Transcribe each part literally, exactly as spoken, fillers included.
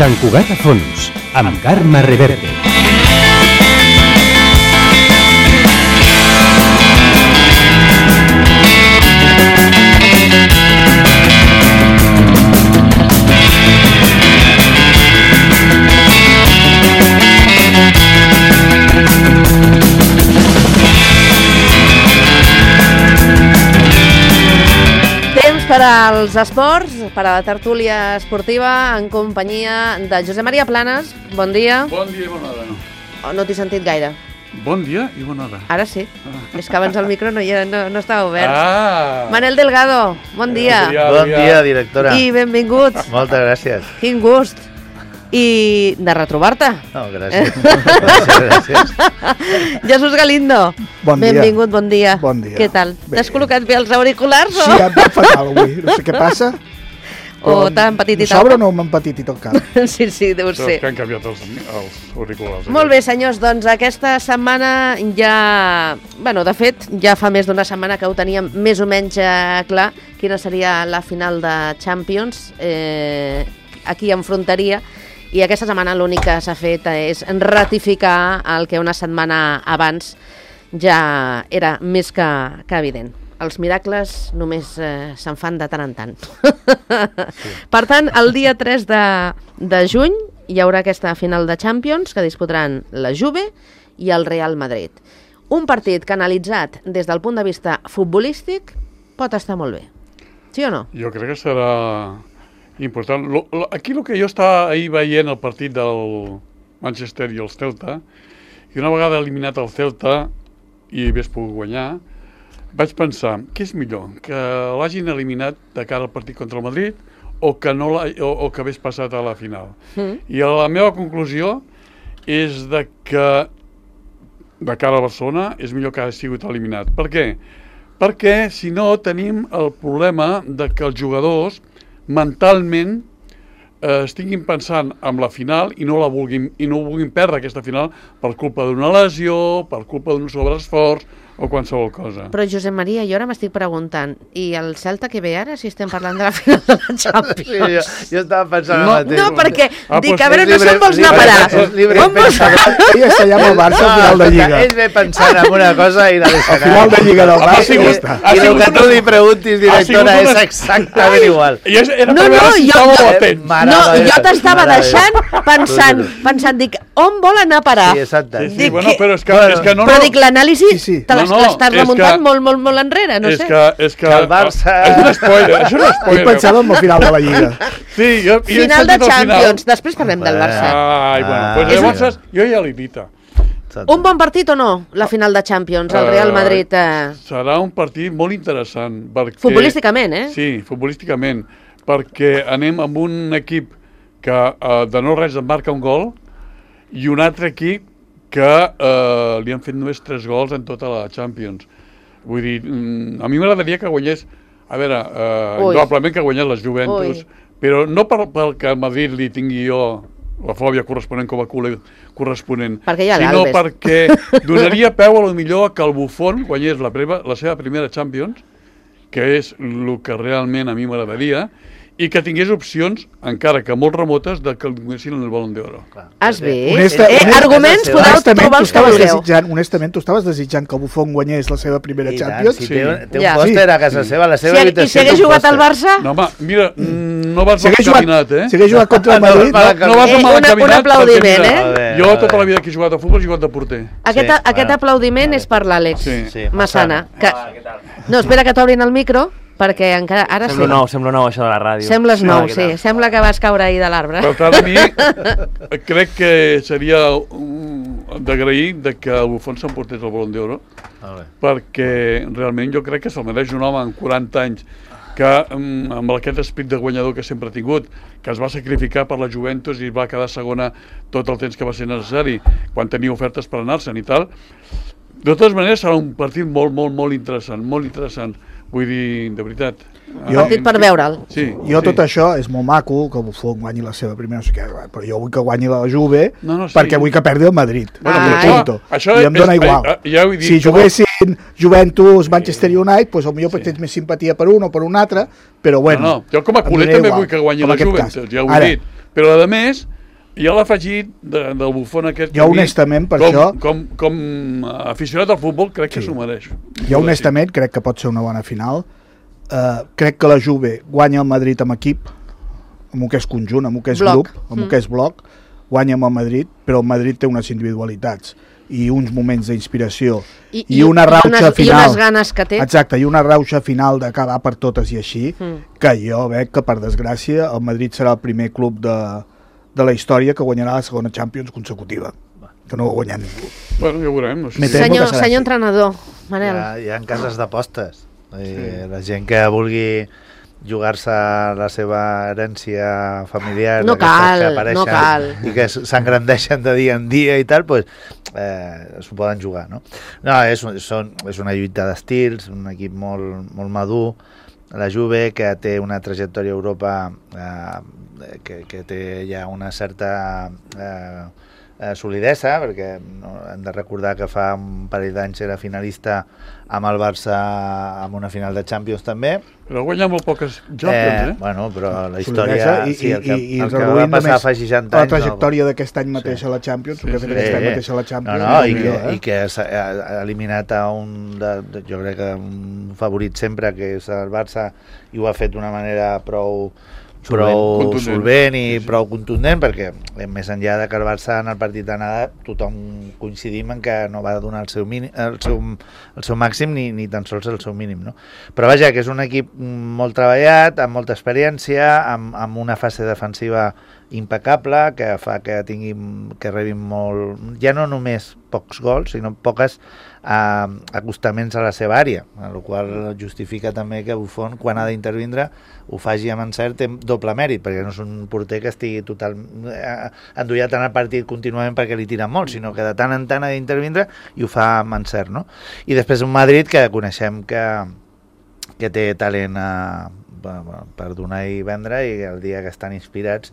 Sant Cugat a fons, amb Carme Reverte. Per als esports, per a la tertúlia esportiva, en companyia de Josep Maria Planes. Bon dia. Bon dia i bona hora. Oh, no t'he sentit gaire. Bon dia i bona hora. Ara sí. Ah. És que abans el micro no, no, no estava obert. Ah. Manel Delgado, bon dia. Bon dia, bon dia directora. I benvinguts. Moltes gràcies. Quin gust. I de retrobar-te. No, gràcies. gràcies, gràcies. Jesús Galindo. Bon dia. Benvingut, bon dia. Bon dia. Què tal? T'has col·locat bé els auriculars? Sí, em va fatal avui. No sé què passa. O t'ha empetitit el Sobre o no m'ha empetitit el cap? Sí, sí, deu ser. Que han canviat els, els auriculars. Molt bé, senyors, doncs aquesta setmana ja... Bueno, de fet, ja fa més d'una setmana que ho teníem més o menys eh, clar quina seria la final de Champions. Eh, aquí enfrontaria. I aquesta setmana l'únic que s'ha fet és ratificar el que una setmana abans ja era més que, que evident. Els miracles només eh, se'n fan de tant en tant. Sí. Per tant, el dia tres de, de juny hi haurà aquesta final de Champions que disputaran la Juve i el Real Madrid. Un partit que analitzat des del punt de vista futbolístic pot estar molt bé. Sí o no? Jo crec que serà important. Lo, lo, aquí el que jo estava ahir veient el partit del Manchester i el Celta, i una vegada eliminat el Celta i hagués pogut guanyar, vaig pensar, què és millor? Que l'hagin eliminat de cara al partit contra el Madrid o que, no o, o que hagués passat a la final? Mm. I la meva conclusió és de que de cara a Barcelona és millor que hagi sigut eliminat. Per què? Perquè si no tenim el problema de que els jugadors mentalment eh, estiguin pensant en la final i no la vulguin, i no vulguin perdre aquesta final per culpa d'una lesió, per culpa d'un sobreesforç o qualsevol cosa. Però Josep Maria, jo ara m'estic preguntant, i el Celta que ve ara, si estem parlant de la final de la Champions? Sí, jo, jo estava pensant no, el mateix. No, perquè ah, dic, pues a veure, no libre, se'n vols anar a parar. Libre, On vols anar? Ell està allà amb el Barça al final de Lliga. Ell ve pensant en una cosa i la deixarà. Al final de Lliga del Barça I, i ja està. I el que tu li preguntis, directora, és exactament igual. Era no, no, si jo, jo, no, jo t'estava deixant pensant, pensant, dic, on vol anar a parar? Sí, exacte. Sí, sí, bueno, però és que, bueno, és que no... Però no, dic, l'anàlisi sí, sí. te No, no, l'estàs és remuntant que- molt, molt, molt enrere, no és sé. que, és que, Que el Barça- és un spoiler, és un Ell spoiler. pensava en la final de la Lliga. Sí, jo, jo he Final de sentit el Champions, després parlem del Barça. Ai, bueno, Ah, pues és llavors jo ja l'he dit. Un bon partit o no, la final de Champions, el Real Madrid? Eh... Serà un partit molt interessant. Perquè, Futbolísticament, eh? Sí, futbolísticament, perquè anem amb un equip que eh, de no res en marca un gol i un altre equip que eh, li han fet només tres gols en tota la Champions. Vull dir, a mi m'agradaria que guanyés, a veure, eh, indudablement que guanyés les Juventus, Ui. però no per, perquè a Madrid li tingui jo la fòbia corresponent com a culer corresponent, perquè hi ha sinó l'Albes. perquè donaria peu a lo millor que el Buffon guanyés la, preva, la seva primera Champions, que és el que realment a mi m'agradaria, i que tingués opcions, encara que molt remotes, de que el donessin el Balón d'Oro. Has vist? Honesta, eh, honesta, arguments podeu honestament, trobar tu els que estaves vulgueu. desitjant, honestament, tu estaves desitjant que el Buffon guanyés la seva primera I tant, Champions? si Sí. té, té un Ja. pòster a casa seva, a la seva Si, I habitació. si hagués té un jugat al pòster. Barça? No, home, mira, mm, no vas Si mal hagués jugat, encaminat, eh? si hagués jugat contra el No, Madrid... no, No, no vas Eh, mal una- encaminat. un aplaudiment, perquè, eh? mira, Jo tota la vida que he jugat a futbol he jugat de porter. Aquest, Sí, aquest bueno. aplaudiment és per l'Àlex Sí. Sí, Massana. Que... No, espera que t'obrin el micro, perquè encara... Ara Sembla sí. nou, sembla nou això de la ràdio. Sembles nou, què sí. tal? Sembla que vas caure ahir de l'arbre. Per tant, a mi crec que seria um, d'agrair de que el Buffon s'emportés el Balón d'Oro, Molt bé. perquè realment jo crec que se'l mereix un home amb quaranta anys que um, amb aquest esprit de guanyador que sempre ha tingut, que es va sacrificar per la Juventus i va quedar segona tot el temps que va ser necessari, quan tenia ofertes per anar-se'n i tal. De totes maneres serà un partit molt, molt, molt interessant, molt interessant. Vull dir, de veritat, Un partit per veure'l. Sí, Jo sí. tot això és molt maco, que Buffon guanyi la seva primera, no sé què, però jo vull que guanyi la Juve No, no, sí. perquè vull que perdi el Madrid. Bueno, Ah, però Punto. això I em dóna és- igual. eh, ja ho he dit, si que- juguessin Juventus, Manchester United, doncs potser sí. tens més simpatia per un o per un altre, però bueno. No, no, jo com a em culer dóna també igual, vull que guanyi com la aquest Juventus, cas. ja ho he Ara, dit. Però, a més, hi ha l'afegit de, del Buffon aquest... Jo, que a mi, honestament, per com, això- Com, com aficionat al futbol, crec que Sí. s'ho mereix. Jo honestament crec que pot ser una bona final. Uh, crec que la Juve guanya el Madrid amb equip, amb el que és conjunt, amb el que és Bloc. grup, amb el Mm. que és bloc, guanya amb el Madrid, però el Madrid té unes individualitats i uns moments d'inspiració I, i una rauxa unes, final. I unes ganes que té. Exacte, i una rauxa final d'acabar per totes i així, Mm. que jo veig que, per desgràcia, el Madrid serà el primer club de, de la història que guanyarà la segona Champions consecutiva, que no ho ha guanyat ningú. Bueno, ja ho veurem. No sé. Me Sí. temo Senyor, que serà senyor així. entrenador, Manel. Hi ha, hi ha cases d'apostes. Sí. La gent que vulgui jugar-se la seva herència familiar, No d'aquestes cal, que apareixen no cal. i que s'engrandeixen de dia en dia i tal, pues, eh, s'ho poden jugar, no? No, és, són, és una lluita d'estils, un equip molt, molt madur, la Juve, que té una trajectòria a Europa eh, que, que té ja una certa eh, eh, solidesa, perquè no, hem de recordar que fa un parell d'anys era finalista amb el Barça en una final de Champions també. Però guanya molt poques Champions, eh? Bueno, però la Solidesa història... i, sí, el que, i, i el que va reduint passar només fa seixanta la anys... trajectòria d'aquest any mateix Sí. a la Champions, Sí, el que ha sí. fet aquest any Sí. mateix a la Champions. No, no, i és que, millor, eh? i que s'ha ha eliminat a un, de, de, jo crec que un favorit sempre, que és el Barça, i ho ha fet d'una manera prou, prou Contundent. solvent i Sí, sí. prou contundent, perquè eh, més enllà de que el Barça en el partit d'anada tothom coincidim en que no va donar el seu, mínim, el seu, el seu màxim ni, ni tan sols el seu mínim, no? Però vaja, que és un equip molt treballat, amb molta experiència, amb, amb una fase defensiva impecable, que fa que tinguin, que rebin molt, ja no només pocs gols, sinó poques eh, acostaments a la seva àrea, el qual justifica també que Buffon, quan ha d'intervindre, ho faci amb encert, té doble mèrit, perquè no és un porter que estigui total eh, endollat en el partit contínuament perquè li tiren molt, sinó que de tant en tant ha d'intervindre i ho fa amb encert, no? I després un Madrid que coneixem que, que té talent eh, per donar i vendre, i el dia que estan inspirats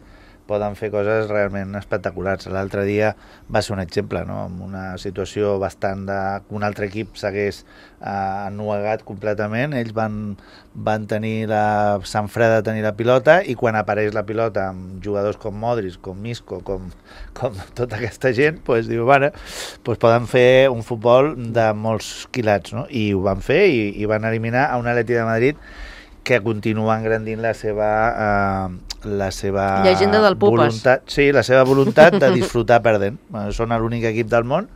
poden fer coses realment espectaculars. L'altre dia va ser un exemple, no? En una situació bastant de... que un altre equip s'hagués eh, ennuegat completament, ells van, van tenir la sang freda de tenir la pilota, i quan apareix la pilota amb jugadors com Modric, com Isco, com, com tota aquesta gent, pues, diu, bueno, pues poden fer un futbol de molts quilats, no? I ho van fer, i, i van eliminar a un Atleti de Madrid que continua engrandint la seva eh, la seva Llegenda del Pupas. voluntat, sí, la seva voluntat de disfrutar perdent. Bueno, són l'únic equip del món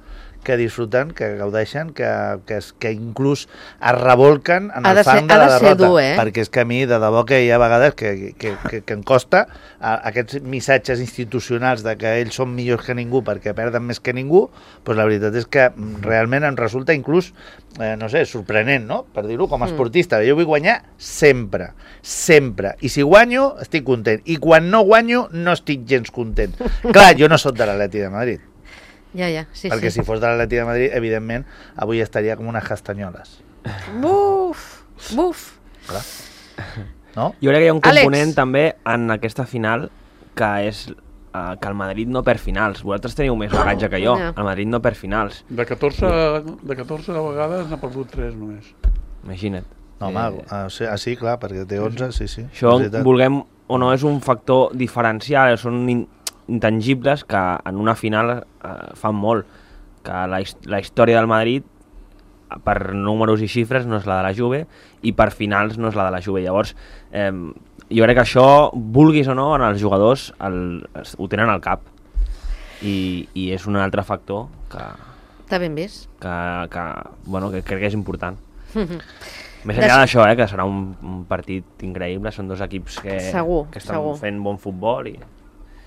que disfruten, que gaudeixen, que, que, es, que inclús es revolquen en Ha el de ser- fang de ha la de ser derrota, dur, eh? perquè és que a mi de debò que hi ha vegades que, que, que, que em costa a, aquests missatges institucionals de que ells són millors que ningú perquè perden més que ningú, doncs la veritat és que realment em resulta inclús eh, no sé, sorprenent, no? Per dir-ho com a esportista. Jo vull guanyar sempre, sempre. I si guanyo, estic content. I quan no guanyo, no estic gens content. Clar, jo no sóc de l'Atleti de Madrid. Ja, ja, sí, perquè sí. si fos de l'Atleti de Madrid, evidentment, avui estaria com unes castanyoles. Buf, buf. Clar. No? Jo crec que hi ha un Àlex. component també en aquesta final que és uh, que el Madrid no perd finals. Vosaltres teniu més bagatge que jo. Ja. El Madrid no perd finals. De catorze, de catorze vegades n'ha perdut tres només. Imagina't. No, home, Eh, ah, sí, ah, sí, clar, perquè té onze, sí, sí. Això, és veritat. vulguem o no, és un factor diferencial, són in intangibles que en una final eh, fan molt. Que la, his la història del Madrid, per números i xifres, no és la de la Juve, i per finals no és la de la Juve. Llavors, eh, jo crec que això, vulguis o no, en els jugadors el, ho tenen al cap. I, i és un altre factor que, Està ben vist. que, que, bueno, que crec que és important. Més Des- enllà d'això, eh, que serà un, un partit increïble, són dos equips que, Segur, que estan segur. fent bon futbol i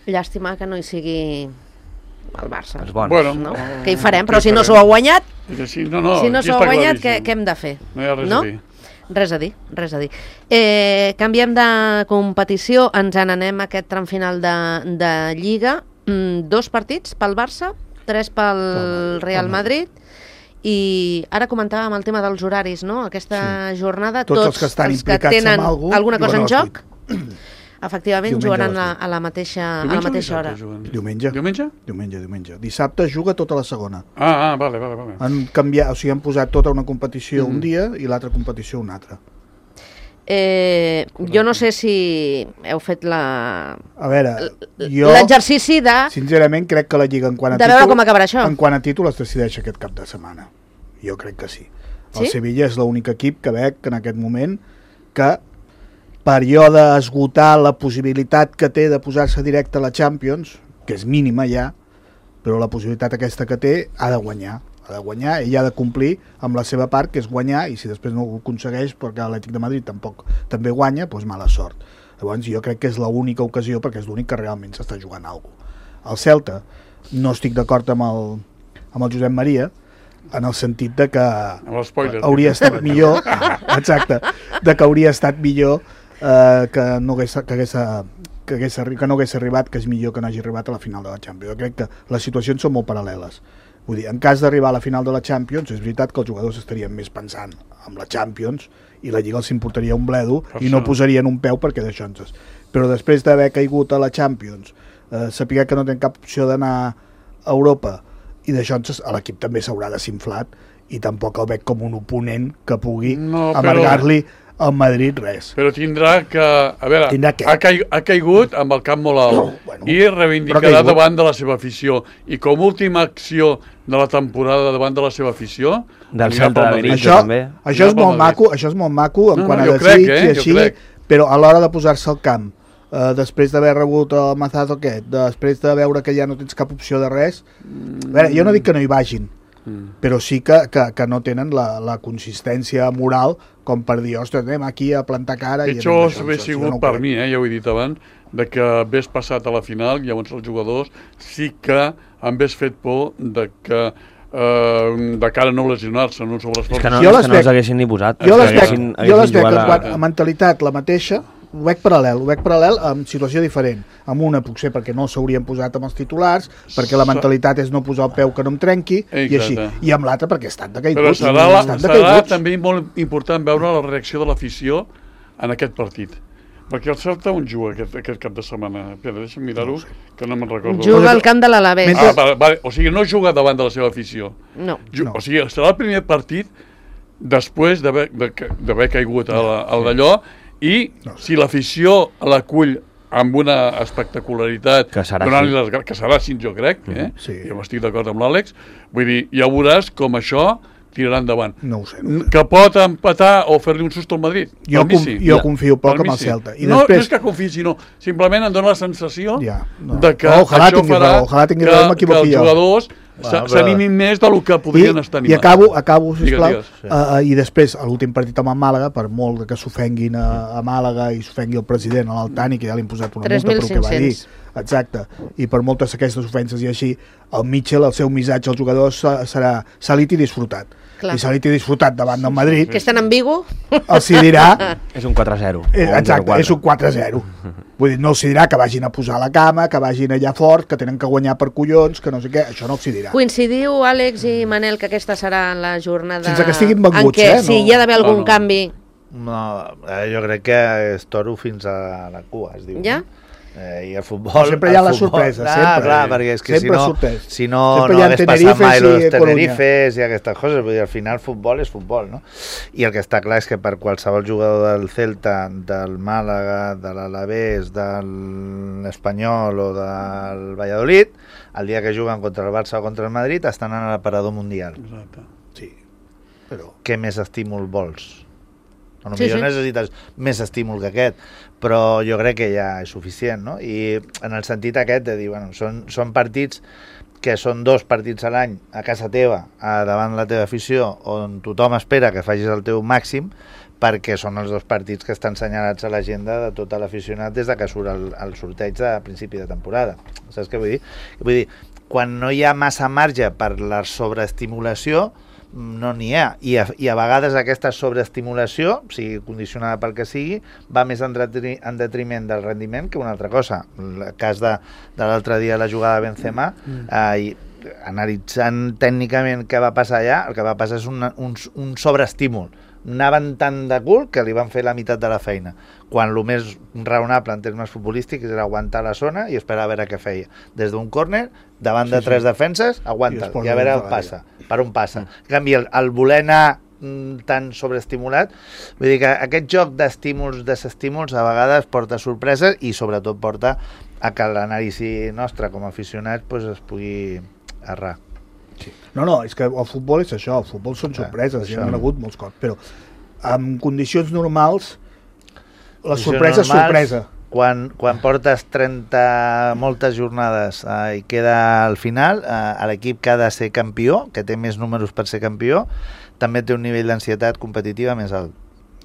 Llàstima que no hi sigui el Barça. els bons. Bueno, No? no, Què hi farem? què Però hi si no farem? s'ho ha guanyat, Que sí, no, no, si no aquí s'ho ha està guanyat, què, claríssim. què hem de fer? No hi ha res no? a dir. Res a dir, res a dir. Eh, canviem de competició, ens n'anem a aquest tram final de, de Lliga. Mm, dos partits pel Barça, tres pel Pel- Real pel Madrid I ara comentàvem el tema dels horaris, no? Aquesta sí. jornada, tots, tots els que estan els que implicats tenen amb algú, alguna cosa en juguen a joc, efectivament Diumenge jugaran a a, les a la mateixa, a la Diumenge o mateixa hora. dissabte juguen? Diumenge. Diumenge? Diumenge, diumenge. Dissabte juga tota la segona. Ah, ah, vale, vale, vale. Han canviat, o sigui, han posat tota una competició Mm. un dia i l'altra competició un altre. Eh, jo no sé si heu fet la... A veure, jo l'exercici de... sincerament crec que la Lliga en quant a De veure títol, com acabarà això. en quant a títol es decideix aquest cap de setmana. Jo crec que sí. El Sí? Sevilla és l'únic equip que veig en aquest moment que per allò d'esgotar la possibilitat que té de posar-se directe a la Champions, que és mínima ja, però la possibilitat aquesta que té ha de guanyar. Ha de guanyar, ell ha de complir amb la seva part, que és guanyar, i si després no ho aconsegueix perquè l'Atlètic de Madrid tampoc també guanya, doncs mala sort. Llavors jo crec que és l'única ocasió perquè és l'únic que realment s'està jugant alguna cosa. El Celta, no estic d'acord amb, el, amb el Josep Maria, en el sentit de que l'espoiler. hauria estat millor, exacte, de que hauria estat millor eh, que, no hagués, que, hagués, que, hagués, arri- que no hagués arribat, que és millor que no hagi arribat a la final de la Champions. Jo crec que les situacions són molt paral·leles. Vull dir, en cas d'arribar a la final de la Champions, és veritat que els jugadors estarien més pensant en la Champions i la Lliga els importaria un bledo Per i no això. posarien un peu perquè d'això ens... Però després d'haver caigut a la Champions, eh, saber que no tenen cap opció d'anar a Europa i d'això l'equip també s'haurà desinflat i tampoc el veig com un oponent que pugui No, però- amargar-li al Madrid res. Però tindrà que... A veure, Tindrà què? ha, caigut, ha caigut amb el cap molt alt No, bueno, i però ha reivindicarà caigut. davant de la seva afició. I com última acció de la temporada davant de la seva afició... Del anirà Celta pel de Madrid. Benito. Això, també. això és Anirà pel molt Madrid. maco, això és molt maco en No, quant no, a jo desig crec, i eh, jo així, crec. però a l'hora de posar-se al camp, eh, després d'haver rebut el mazazo aquest, després de veure que ja no tens cap opció de res, a veure, jo no dic que no hi vagin, Mm. però sí que, que, que no tenen la, la consistència moral com per dir, ostres, anem aquí a plantar cara... i Pitjor anem d'això, hauria això sigut no ho per crec. mi, eh, ja ho he dit abans, de que hagués passat a la final, llavors els jugadors sí que han hagués fet por de que eh, de cara a no lesionar-se en un sobreesforç. És que no, Jo és les que no veig- els haguessin ni posat. Jo és les que veig, haguessin- jo haguessin les veig jugat en la- quant a mentalitat la mateixa, ho veig paral·lel, ho veig paral·lel amb situació diferent. Amb una potser perquè no s'haurien posat amb els titulars, perquè la Sa- mentalitat és no posar el peu que no em trenqui, i així. Exacte. I amb l'altra perquè estan decaiguts. Però serà, la, estan serà decaiguts. també molt important veure la reacció de l'afició en aquest partit. Perquè el Celta on juga aquest, aquest cap de setmana? Espera, deixa'm mirar-ho, No ho sé. que no me'n recordo. Juga al camp de l'Alavés. Mentre- Ah, vale, vale. O sigui, no juga davant de la seva afició. No. Ju No. O sigui, serà el primer partit després d'haver de, d'haver caigut a la- al d'allò i No sé. si l'afició l'acull amb una espectacularitat Que serà donant-li així. les gra- que serà així, jo crec, eh? Sí. Jo estic d'acord amb l'Àlex. Vull dir, ja veuràs com això tirarà endavant. No ho sé. No ho sé. Que pot empatar o fer-li un susto al Madrid. Jo, Per mi conf, sí. jo confio poc Per mi amb el sí. Celta. I no, després, no és que confiï, sinó simplement em dona la sensació Ja, no. de que Oh, ojalà això tingui farà raó, ojalà tingui que, raó i que m'equivoqui els jo. jugadors Va, s'a- però- s'animin més del que podrien I, estar I animats. acabo, acabo sisplau, Digues, digues, uh, i després, a l'últim partit amb el Màlaga, per molt que s'ofenguin a, a Màlaga i s'ofengui el president, a l'Altani, que ja li han posat una tres multa mil pel que va dir, cinc-cents. exacte, i per moltes aquestes ofenses i així, el Mitchell, el seu missatge als jugadors se- serà salit i disfrutat. Clar. I salit i disfrutat davant del Madrid, Que estan en Vigo? els hi dirà, És un quatre a zero. eh, o un exacte, zero quatre. és un quatre a zero. Vull dir, no els hi dirà que vagin a posar la cama, que vagin allà fort, que tenen que guanyar per collons, que no sé què, això no els hi dirà. Coincidiu, Àlex i Manel, que aquesta serà la jornada Sense que estiguin en venguts, què, eh, si no. hi ha d'haver algun No, no. canvi, No, eh, jo crec que és toro fins a la cua, es diu. ja? No? Eh, I el futbol... Sempre hi ha el la futbol- sorpresa, ah, sempre. clar, perquè és que Sempre si no, sorprès. si no, Sempre no hi ha hagués passat Tenerifes mai i los Coruña. Tenerifes i aquestes coses. Vull dir, al final futbol és futbol, no? I el que està clar és que per qualsevol jugador del Celta, del Màlaga, de l'Alavés, de l'Espanyol o del Valladolid, el dia que juguen contra el Barça o contra el Madrid estan en l'aparador mundial. Exacte. Sí, però... Què més estímul vols? A lo Sí, millor sí. necessites més estímul que aquest, però jo crec que ja és suficient, no? I en el sentit aquest de dir, bueno, són, són partits que són dos partits a l'any a casa teva, a davant la teva afició, on tothom espera que facis el teu màxim, perquè són els dos partits que estan senyalats a l'agenda de tot l'aficionat des de que surt el, el sorteig de principi de temporada. Saps què vull dir? Vull dir, quan no hi ha massa marge per la sobreestimulació, no n'hi ha, I a, i a vegades aquesta sobreestimulació, sigui condicionada pel que sigui, va més en, detri, en detriment del rendiment que una altra cosa. El cas de, de l'altre dia la jugada de Benzema, mm. eh, analitzant tècnicament què va passar allà, el que va passar és un, un, un sobreestímul. Anaven tant de cul que li van fer la meitat de la feina, quan el més raonable en termes futbolístics era aguantar la zona i esperar a veure què feia. Des d'un córner, davant de tres defenses, aguanta i a veure on passa, per on passa. En canvi, el, el voler anar tan sobreestimulat, vull dir que aquest joc d'estímuls, desestímuls, a vegades porta sorpreses i sobretot porta a que l'anàlisi nostra com a aficionats pues, es pugui errar. Sí. No, no, és que el futbol és això, el futbol són sorpreses, ja, hi ha hagut molts cops, però en condicions normals la sorpresa és sorpresa. Quan, quan portes trenta moltes jornades eh, i queda al final, eh, l'equip que ha de ser campió, que té més números per ser campió, també té un nivell d'ansietat competitiva més alt.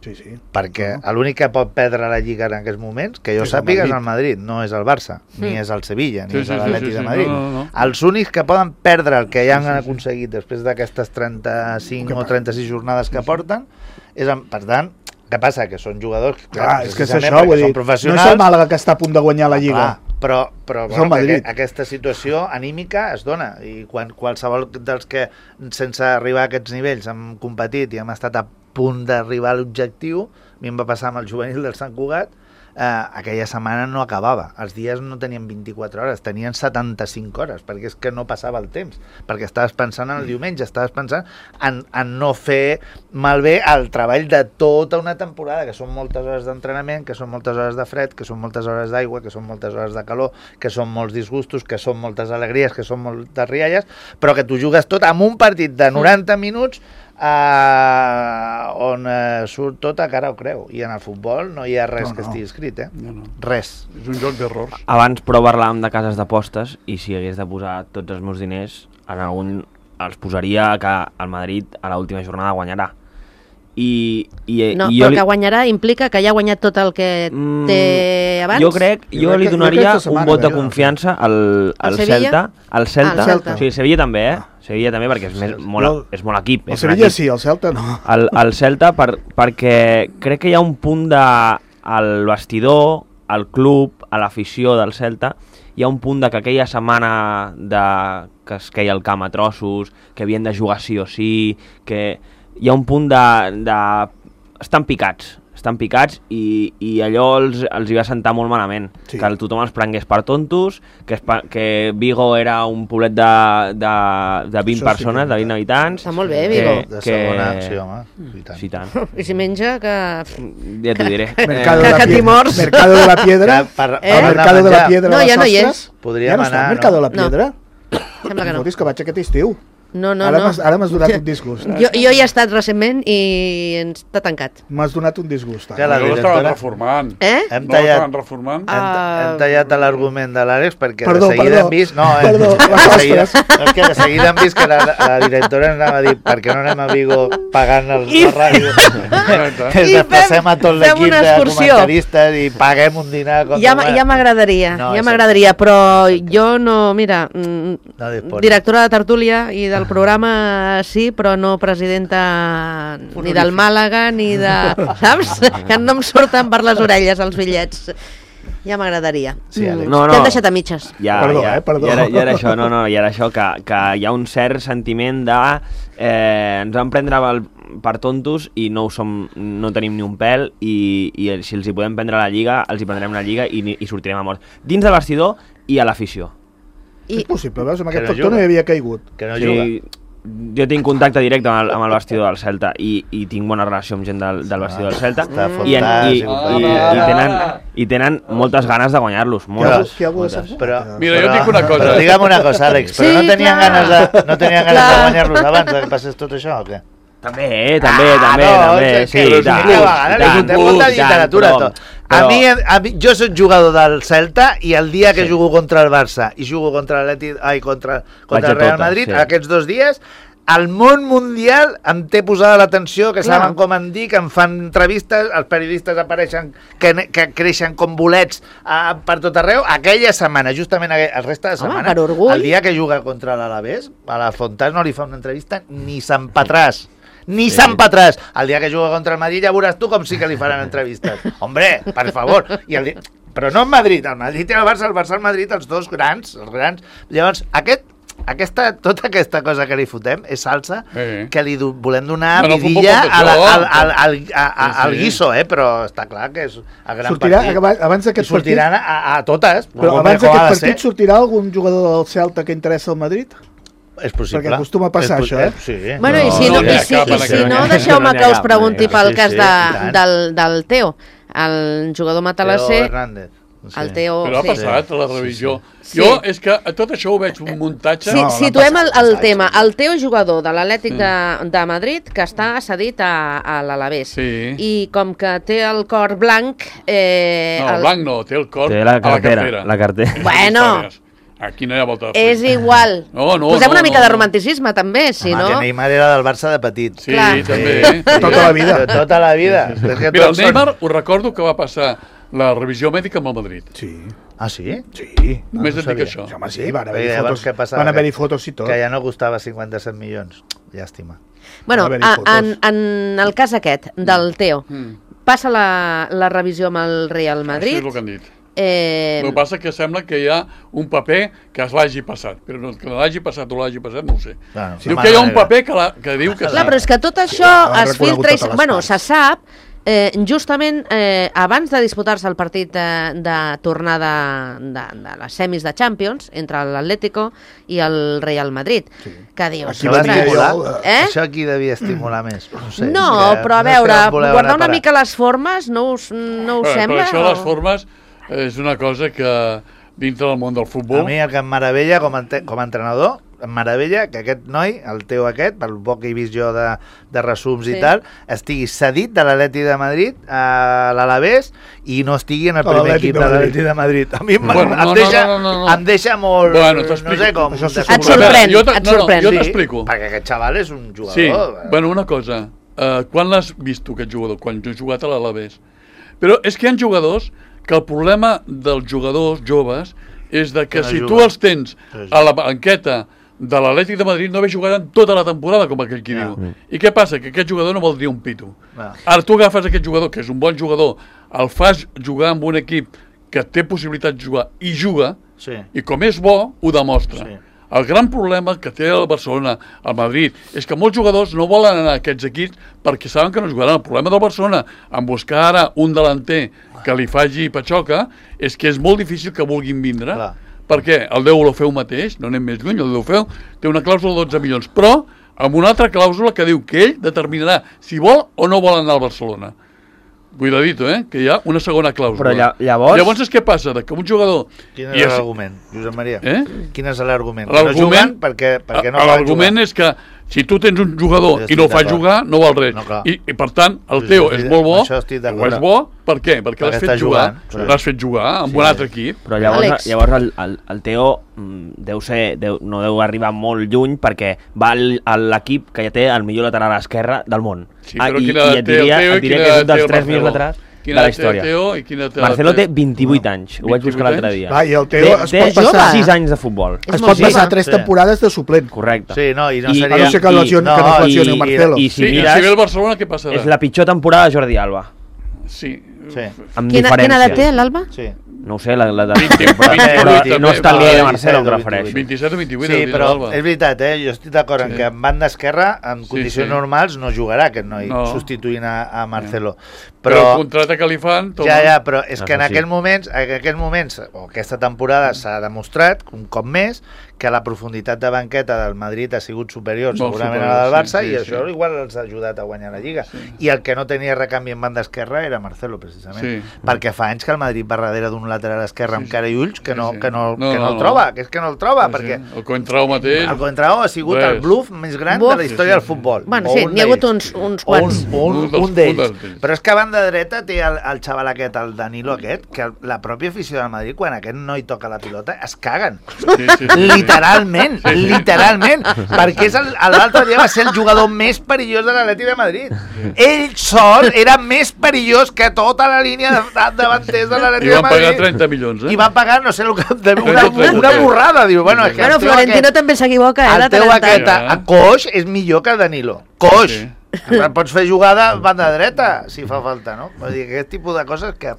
Sí, sí. Perquè no. L'únic que pot perdre la Lliga en aquests moments, que jo sàpiga, és el Madrid, no és el Barça, sí. Ni és el Sevilla, ni sí, és sí, l'Atlètic sí, sí, de Madrid. No, no, no. Els únics que poden perdre el que ja han sí, sí, aconseguit després d'aquestes trenta-cinc o trenta-sis jornades que porten, és, per tant, què passa? Que són jugadors... Clar, clar és que és això, vull dir, no és el Màlaga que està a punt de guanyar la Lliga. Clar, però però bueno, que, aquesta situació anímica es dona, i quan qualsevol dels que, sense arribar a aquests nivells, hem competit i hem estat a punt d'arribar a l'objectiu, a mi em va passar amb el juvenil del Sant Cugat, eh, aquella setmana no acabava, els dies no tenien vint-i-quatre hores, tenien setanta-cinc hores, perquè és que no passava el temps, perquè estaves pensant en el diumenge, estaves pensant en, en no fer malbé el treball de tota una temporada, que són moltes hores d'entrenament, que són moltes hores de fred, que són moltes hores d'aigua, que són moltes hores de calor, que són molts disgustos, que són moltes alegries, que són moltes rialles, però que tu jugues tot amb un partit de noranta minuts Uh, on uh, surt tot a cara o creu, i en el futbol no hi ha res no, no. que estigui escrit, eh? No, no. Res. És un joc d'errors. Abans prou parlàvem de cases d'apostes, i si hagués de posar tots els meus diners, en algun els posaria que el Madrid a l'última jornada guanyarà. I, i, no, i però li... que guanyarà implica que ja ha guanyat tot el que mm, té abans? Jo crec, jo, jo li donaria setmana, un vot de confiança al, al Celta. Al Celta. Ah, Celta. Sí, Sevilla també, eh? Sevilla també, perquè és, més, molt, és molt equip. El Sevilla equip. Sí, el Celta no. El, el Celta, per, perquè crec que hi ha un punt de... al vestidor, al club, a l'afició del Celta, hi ha un punt de que aquella setmana de, que es queia el camp a trossos, que havien de jugar sí o sí, que hi ha un punt de... de... estan picats, estan picats i, i allò els, els hi va sentar molt malament, sí. Que tothom els prengués per tontos, que, es, que Vigo era un poblet de, de, de vint Això persones, sí, de vint habitants. Està molt bé, Vigo. Que, de segona, que... sí, home, i tant. Sí, tant. I si menja, que... Ja t'ho diré. Mercado, que, de que Timors. Mercado de la Piedra. Que per, eh? Mercado de la Piedra. No, ja no hi és. Podríem ja no anar, està, Mercado de la Piedra? No. Sembla que no. Fotis que vaig aquest estiu. No, no, ara no. Ara m'has donat un disgust. Jo, jo hi he estat recentment i ens està tancat. M'has donat un disgust. Que la directora... l'estaven reformant. Eh? Hem tallat, no reformant. Hem, hem tallat l'argument de l'Àlex perquè perdó, de seguida perdó, hem vist... No, eh, perdó, de, seguida, és que de seguida hem vist que la, la directora ens anava a dir per què no anem a Vigo pagant el, la ràdio. Ens desplacem a tot l'equip de comentaristes i paguem un dinar. Ja, ja m'agradaria, no, ja m'agradaria, però jo no, mira, no directora de tertúlia i del programa sí, però no presidenta ni del Màlaga ni de... Saps? Que no em surten per les orelles els bitllets. Ja m'agradaria. Sí, no, no. T'hem deixat a mitges. Ja, perdó, ja, eh, perdó. Ja era, ja era això, no, no, ja era això, que, que hi ha un cert sentiment de... Eh, ens vam prendre el, per tontos i no ho som, no tenim ni un pèl i, i si els hi podem prendre la Lliga, els hi prendrem la Lliga i, i sortirem a mort. Dins de vestidor i a l'afició. I... És possible, veus? Amb aquest no factor no hi havia caigut. Que no sí, juga. Jo tinc contacte directe amb el, amb el vestidor del Celta i, i tinc bona relació amb gent del, del vestidor del Celta i, en, i, i, i, i, tenen, i tenen moltes ganes de guanyar-los. Moltes, moltes. Però, Mira, però, jo dic una cosa. Però digue'm una cosa, Àlex, però sí, no tenien clar. ganes de, no tenien ganes de guanyar-los abans de que passés tot això o què? També, eh, també, ah, també, no, també, sí, i tant, tant, té molta literatura, tot. A mi, a mi, jo soc jugador del Celta i el dia que sí. jugo contra el Barça i jugo contra l'Atlètic, ai, contra, contra el Real tota, Madrid, sí. aquests dos dies, el món mundial em té posada l'atenció, que saben com em dic, em fan entrevistes, els periodistes apareixen, que, que creixen com bolets uh, per tot arreu. Aquella setmana, justament aquella, el resta de setmana, Home, el dia que juga contra l'Alavés, a la Fontàs no li fa una entrevista ni Sant Patràs. Ni sí. Sant Patràs. El dia que juga contra el Madrid ja veuràs tu com sí que li faran entrevistes. Hombre, per favor. I el dia... Però no en Madrid, el Madrid i el Barça, el Barça i el Madrid, els dos grans, els grans. Llavors, aquest aquesta, tota aquesta cosa que li fotem és salsa Eh. que li do, volem donar Bueno, el futbol vidilla pot al, això. al, al, al, a, a, Sí, sí. al guiso, eh? Però està clar que és el gran Sortirà, partit. abans- abans d'aquest I sortiran a, a totes. Però com- abans com ha d'aquest de partit ser. sortirà algun jugador del Celta que interessa al Madrid? És possible. Perquè acostuma a passar, És po- això, eh? Sí. Bueno, i si No, no, no i hi ha si, cap i en si aquest no moment. deixeu-me No hi ha que us cap, pregunti no hi ha pel cap. cas Sí, de, sí, i tant. del, del Teo, el jugador Teo matalasser, Hernández. Sí. el Teo... Però ha sí. passat a la revisió. Sí. Jo, és que a tot això ho veig un muntatge... Sí, No, l'han situem el, passat, el passat, tema. sí. El Teo, jugador de l'Atlètic de, de Madrid, que està cedit a, a l'Alavés. Sí. I com que té el cor blanc... Eh, No, el blanc no, té el cor Té la a la cartera, cartera. la cartera. Bueno. Històries. Aquí no hi ha volta de fer. És igual. No, no, Posem no, una mica no, de no. romanticisme, també, si Home, no... que Neymar era del Barça de petit. Sí, Clar. també. Sí. Tota la vida. De tota la vida. És que Mira, el tots són- Neymar, us recordo que va passar la revisió mèdica amb el Madrid. Sí. Ah, sí? Sí. Només et dic sabia. això. Sí, home, sí, van Perquè haver-hi llavors fotos, què passava? van haver-hi Que- fotos i tot. Que ja no costava cinquanta-set milions. Llàstima. Bueno, Van haver-hi a, fotos. en, en el cas aquest, del Teo, Mm. passa la, la revisió amb el Real Madrid. Això és el que han dit. Eh, El que passa que sembla que hi ha un paper que es l'hagi passat, però no, que l'hagi passat o l'hagi passat no ho sé. Bueno, Diu sí, que hi ha un manera. paper que, la, que diu que Clar, però és que tot això han es reconegut filtra i... totes les Bueno, parts. se sap, eh, justament eh, abans de disputar-se el partit de, de tornada de, de les semis de Champions entre l'Atlético i el Real Madrid, sí. que dius... Aquí Això va venia estimular? jo, eh? Això aquí devia estimular més. No, sé, No, que però a no sé veure, on voleu guardar anar a una parar. mica les formes no us, no us Però, sembla? però això de les o- formes és una cosa que dintre del món del A futbol... mi el que em meravella com a, ente- com a entrenador, em meravella que aquest noi, el Teo aquest, pel poc que he vist jo de, de resums Sí. i tal, estigui cedit de l'Atleti de Madrid a l'Alavés i no estigui en el A primer l'Atlètic equip de de Madrid. l'Atleti de Madrid. A mi em, Bueno, em, no, no, deixa, no, no, no. em deixa molt... Bueno, no t'explico. sé com... Això de- s'ho Et sorprèn, jo et no, no, sorprèn. jo Sí, t'explico. perquè aquest xaval és un jugador. Sí, eh? bueno, una cosa. Uh, quan l'has vist tu, aquest jugador? Quan jo he jugat a l'Alavés. Però és que hi ha jugadors que el problema dels jugadors joves és de que, Que no si juguen. tu els tens a la banqueta de l'Atlètic de Madrid no ve jugat en tota la temporada, com aquell qui Ja. diu. I què passa? Que aquest jugador no vol dir un pito. Ja. Ara tu agafes aquest jugador, que és un bon jugador, el fas jugar amb un equip que té possibilitat de jugar i juga, Sí. i com és bo, ho demostra. Sí. El gran problema que té el Barcelona, el Madrid, és que molts jugadors no volen anar a aquests equips perquè saben que no jugaran. El problema del Barcelona, en buscar ara un delanter que li faci patxoca, és que és molt difícil que vulguin vindre. Clar. Perquè el Déu lo feu mateix, no anem més lluny, el Déu feu, té una clàusula de dotze milions, però amb una altra clàusula que diu que ell determinarà si vol o no vol anar al Barcelona. Cuidadito, eh? Que hi ha una segona clàusula. Però lla- llavors- Llavors és què passa? De que un jugador... Quin i és és- l'argument, Josep Maria? Eh? Quin és l'argument? No L'argument- juguen perquè, perquè no A- poden L'argument jugar. és que si tu tens un jugador Jo i no el estic fas d'acord. jugar, no val res. No, clar. I, I per tant, el Sí, teu sí, és sí, molt bo, amb això estic o d'acord. és bo, per què? Perquè Perquè l'has està fet jugar, jugant, sí. l'has fet jugar amb un altre equip. Però llavors, Àlex. llavors el, el, el Teo mm, deu ser, deu, no deu arribar molt lluny perquè va al- a l'equip que ja té el millor lateral esquerre del món. Sí, però i, quina i edat et té el diria, Teo i et diria quina que és edat un té dels el tres millors Marcelo? laterals Quina de la edat té el història. Teo i quina edat té- Marcelo té vint-i-vuit anys, ho vaig buscar vint-i-vuit l'altre anys? dia. Va, i el Teo té, es té pot passar- sis anys de futbol. És Es molt pot jove. passar tres Sí. temporades de suplent. Correcte. Sí, no, i no I- seria... A no ser que, I- lesioni, no, que no es lesioni i- el Marcelo. i- si Sí, mires- si ve el Barcelona, què passarà? És la pitjor temporada de Jordi Alba, Sí. Sí. amb Quina, diferència. quina edat té, l'Alba? Sí. No ho sé, la, la de... vint, però, vint-i-vuit però no també, està al nivell de va, Marcelo, em disset o refereixo. vint-i-set o vint-i-vuit, Sí, el però Alba. és veritat, eh? jo estic d'acord en Sí. que en banda esquerra, en Sí, condicions sí. normals, no jugarà aquest noi, No. substituint a, a Marcelo. Però el Però, contracte que li fan... Toma. ja, ja, però és que en Això sí. aquells moments, en aquells moments, o aquesta temporada s'ha demostrat, un cop més, que la profunditat de banqueta del Madrid ha sigut superior, Molt segurament superior, a la del Barça, sí, sí, i això sí. igual els ha ajudat a guanyar la Lliga. Sí. I el que no tenia recanvi en banda esquerra era Marcelo, precisament. Sí. Perquè fa anys que el Madrid va darrere d'un lateral esquerre amb Sí, sí. cara i ulls que no, Sí, sí. que no, No, que no no, el no. troba, que és que no el troba, Sí, perquè sí. El Coentrao mateix... el Contrao ha sigut Res. el bluff més gran Buf. de la història Sí, sí, del sí. futbol. Bueno, O sí, un n'hi ha hagut d'ells. uns, uns O quants. Un, un, Un dels- un d'ells. un d'ells. Però és que a banda dreta té el, el xaval aquest, el Danilo aquest, que el- la pròpia afició del Madrid, quan aquest noi toca la pilota, es caguen. Sí, sí, sí. Literalment, literalment. Perquè és el- l'altre dia va ser el jugador més perillós de l'Atleti de Madrid. Ell sol era més perillós que tota la línia de, de davanters de l'Atleti I de van pagar Madrid. trenta milions, eh? I van pagar, no sé, el que- de- una, trenta, trenta. una borrada. Diu, bueno, és que Bueno, el teu Florentino aquest- també s'equivoca, eh? el de teu tant en tant. aquest a, Ja. a coix és millor que el Danilo. Coix. Sí. Sí. Pots fer jugada a banda dreta, si fa falta, no? Vull dir, aquest tipus de coses que,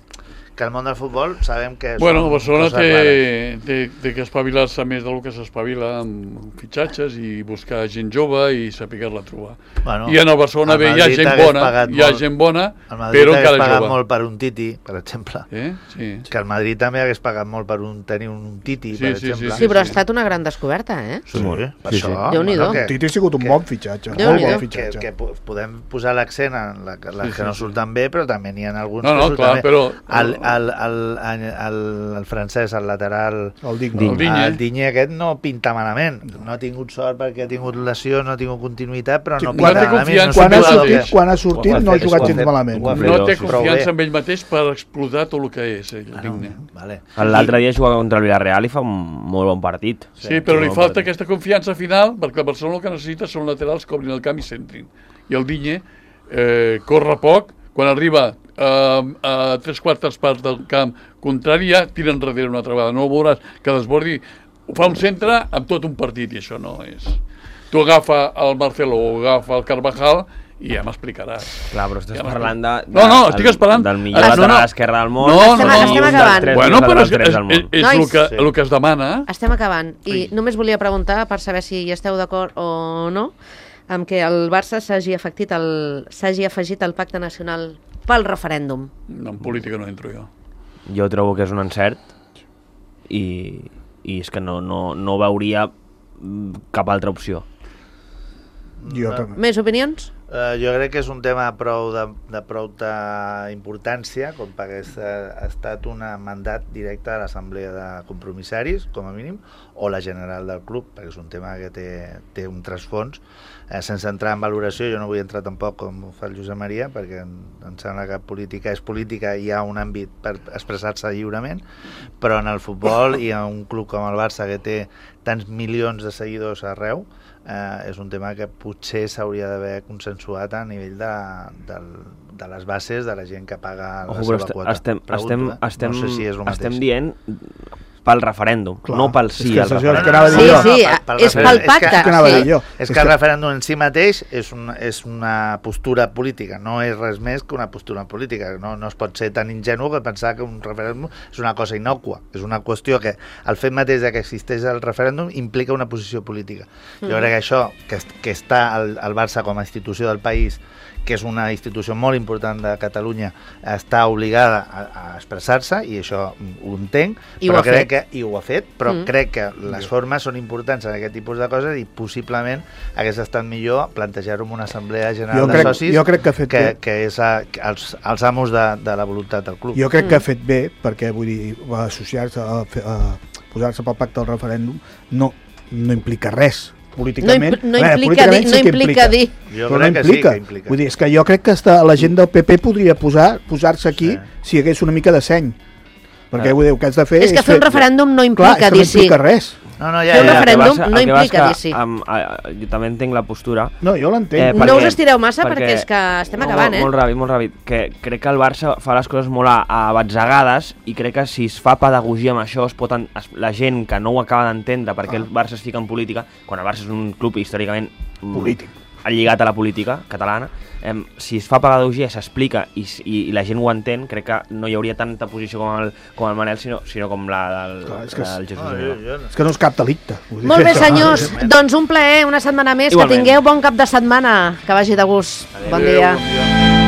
que el món del futbol sabem que Bueno, són Barcelona coses té, rares. té, té que espavilar-se més del que s'espavila amb fitxatges i buscar gent jove i saber-la trobar. Bueno, I en el Barcelona el bé hi ha Madrid gent hagués bona, pagat hi ha molt- gent bona, El Madrid però hagués encara pagat jove. molt per un Titi, per exemple. Eh? Sí. Que el Madrid també hagués pagat molt per un, tenir un Titi, Sí, per sí, exemple. Sí, però ha estat una gran descoberta, eh? Sí, per Sí, sí. això. Déu-n'hi-do. que- Titi ha sigut un que- bon fitxatge, Déu-n'hi-do. molt bon que, fitxatge. que po- podem posar l'accent en la, les Sí, que sí, no sí. surten bé, però també n'hi ha alguns No, no, que surten clar, bé. però- El, el, el, el, el francès, el lateral, El Digne. El Digne. el Digne aquest no pinta malament. No ha tingut sort perquè ha tingut lesió, no ha tingut continuïtat, però Sí, no quan pinta té malament. confiança Quan ha en ell sortit, mateix. quan ha sortit Ho ha no ha fet, jugat ho ha gens fet. malament. Ho ha fet. No té sí, sí. confiança Prou en ell mateix per explotar tot el que és, ell, el Ah, Digne. no, vale. L'altre dia jugava contra el Villarreal i fa un molt bon partit. Sí, però li molt falta partit. aquesta confiança final, perquè el Barcelona el que necessita són laterals que obrin el camp i centrin. I el Digne eh, corre poc, quan arriba eh, a tres quartes parts del camp contrari ja tira enrere una altra vegada. No veuràs que desbordi, fa un centre amb tot un partit i això no és... Tu agafa el Marcelo o agafa el Carvajal i ja m'explicaràs. Clar, però estàs Ja parlant de, de, No, no, estic esperant. del millor Ah, no, lateral no. a l'esquerra del món. No, i no, un no. dels Estem tres acabant. millors Bueno, però laterals és, drets és, del és, món. és Nois. el, que, Sí. el que es demana. Estem acabant i Ai. només volia preguntar per saber si hi esteu d'acord o no amb que el Barça s'hagi afectit el s'hagi afegit al Pacte Nacional pel referèndum. No, en política no entro jo. Jo trobo que és un encert i, i és que no, no, no veuria mm, cap altra opció. Jo també. Més opinions? Uh, jo crec que és un tema prou de, de prou de importància com perquè ha estat un mandat directe de l'Assemblea de Compromissaris, com a mínim, o la general del club, perquè és un tema que té, té un trasfons. Eh, sense entrar en valoració, jo no vull entrar tampoc com ho fa el Josep Maria, perquè em, em sembla que política és política i hi ha un àmbit per expressar-se lliurement, però en el futbol i en un club com el Barça que té tants milions de seguidors arreu, eh, és un tema que potser s'hauria d'haver consensuat a nivell de, de, de les bases de la gent que paga la Ojo, però seva este- quota. estem, Pregunto, estem, eh? estem, no sé si és el mateix. estem dient pel referèndum, Clar. no pel És sí que al això és el referèndum. que anava a dir Sí, jo. sí, pel és pel referèndum. pacte. És que, que anava a dir sí. jo. és És que que- el referèndum en si mateix és, un, és una postura política, no és res més que una postura política. No, no es pot ser tan ingenu que pensar que un referèndum és una cosa innòcua. És una qüestió que el fet mateix de que existeix el referèndum implica una posició política. Jo crec que això, que, est- que està el, el Barça com a institució del país, que és una institució molt important de Catalunya, està obligada a, a expressar-se, i això ho entenc, I ho però ha crec fet. que, i ho ha fet, però Mm. crec que les formes són importants en aquest tipus de coses i possiblement hagués estat millor plantejar-ho en una assemblea general Jo de crec- socis jo crec que ha fet que, bé. que és a, que els, els amos de, de la voluntat del club. Jo crec que ha fet bé, perquè vull dir, va associar-se a, fer- a posar-se pel pacte del referèndum no, no implica res No, políticament. impl no A veure, implica dir, políticament no sí que implica dir. Jo però crec no que implica. sí que implica. Vull dir, és que jo crec que hasta la gent del P P podria posar posar-se aquí Sí. si hi hagués una mica de seny. Perquè Ah. vull dir, el que has de fer És que fer un referèndum no implica Clar, és que no dir sí. implica res. No, no, ja, Fer un ja, referèndum El que passa- no el que passa implica és dir sí. Amb, a, jo també entenc la postura. No, jo l'entenc. Eh, No perquè- us estireu massa perquè, perquè- és que estem No, acabant, molt, eh? Molt ràpid, molt ràpid. Que crec que el Barça fa les coses molt a, a batzegades i crec que si es fa pedagogia amb això, es pot en, es, la gent que no ho acaba d'entendre perquè el Barça es fica en política, quan el Barça és un club històricament mm, Polític. lligat a la política catalana, eh, si es fa pedagogia, s'explica i, i, i la gent ho entén, crec que no hi hauria tanta posició com el, com el Manel, sinó, sinó com la del, Clar, és que la del Jesús. no, jo, Domènech. jo, no. És que no és cap delicte. Vull dir Molt bé, que això- senyors. Doncs un plaer, una setmana més. Igualment. Que tingueu bon cap de setmana. Que vagi de gust. Bon Adéu, dia. bon dia.